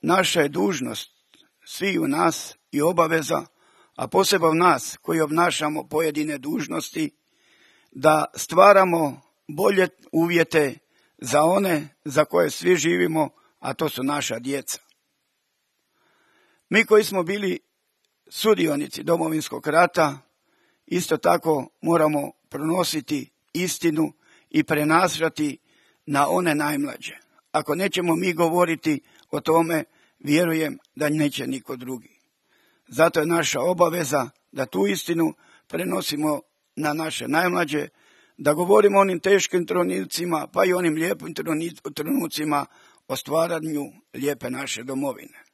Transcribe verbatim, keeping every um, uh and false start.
naša je dužnost svi u nas i obaveza, a posebno nas koji obnašamo pojedine dužnosti, da stvaramo bolje uvjete za one za koje svi živimo, a to su naša djeca. Mi koji smo bili sudionici Domovinskog rata, isto tako moramo pronositi istinu i prenašati na one najmlađe. Ako nećemo mi govoriti o tome, vjerujem da neće niko drugi. Zato je naša obaveza da tu istinu prenosimo na naše najmlađe, da govorimo o onim teškim trenucima, pa i onim lijepim trenucima o stvaranju lijepe naše domovine.